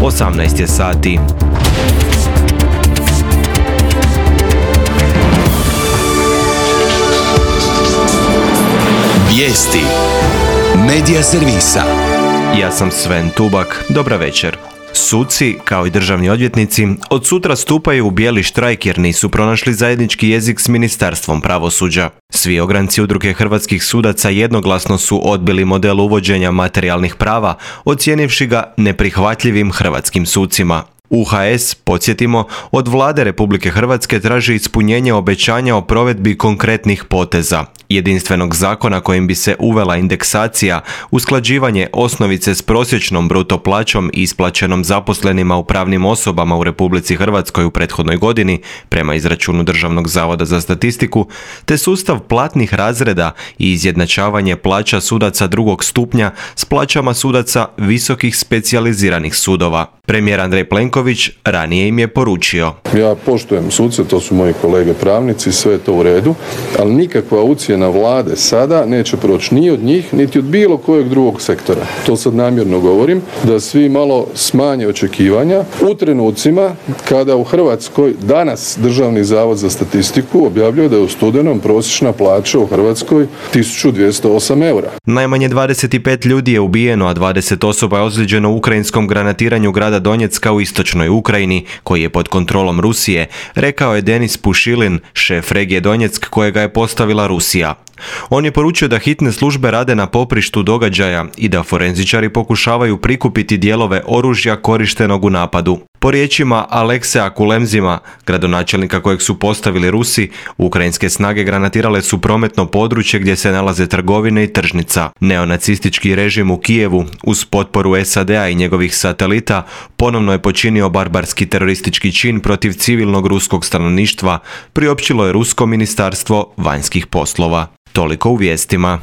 18 je sati. Vijesti Medija servisa. Ja sam Sven Tubak, dobra večer. Suci, kao i državni odvjetnici, od sutra stupaju u bijeli štrajk jer nisu pronašli zajednički jezik s Ministarstvom pravosuđa. Svi ogranci udruge hrvatskih sudaca jednoglasno su odbili model uvođenja materijalnih prava, ocijenivši ga neprihvatljivim hrvatskim sucima. UHS, podsjetimo, od vlade Republike Hrvatske traži ispunjenje obećanja o provedbi konkretnih poteza, jedinstvenog zakona kojim bi se uvela indeksacija, usklađivanje osnovice s prosječnom bruto plaćom isplaćenom zaposlenima u pravnim osobama u Republici Hrvatskoj u prethodnoj godini, prema izračunu Državnog zavoda za statistiku, te sustav platnih razreda i izjednačavanje plaća sudaca drugog stupnja s plaćama sudaca visokih specijaliziranih sudova. Premijer Andrej Plenković ranije im je poručio: Ja poštujem suce, to su moji kolege pravnici, sve je to u redu, ali nikakva ucjena vlade sada neće proći ni od njih, niti od bilo kojeg drugog sektora. To sad namjerno govorim, da svi malo smanje očekivanja u trenucima kada u Hrvatskoj danas Državni zavod za statistiku objavljuje da je u studenom prosječna plaća u Hrvatskoj 1208 eura. Najmanje 25 ljudi je ubijeno, a 20 osoba je ozlijeđeno u ukrajinskom granatiranju grada Donjecka u istočnoj Ukrajini, koji je pod kontrolom Rusije, rekao je Denis Pušilin, šef regije Donjeck kojega je postavila Rusija. On je poručio da hitne službe rade na poprištu događaja i da forenzičari pokušavaju prikupiti dijelove oružja korištenog u napadu. Po riječima Alekseja Kulemzima, gradonačelnika kojeg su postavili Rusi, ukrajinske snage granatirale su prometno područje gdje se nalaze trgovine i tržnica. Neonacistički režim u Kijevu, uz potporu SAD-a i njegovih satelita, ponovno je počinio barbarski teroristički čin protiv civilnog ruskog stanovništva, priopćilo je Rusko ministarstvo vanjskih poslova. Toliko u vijestima.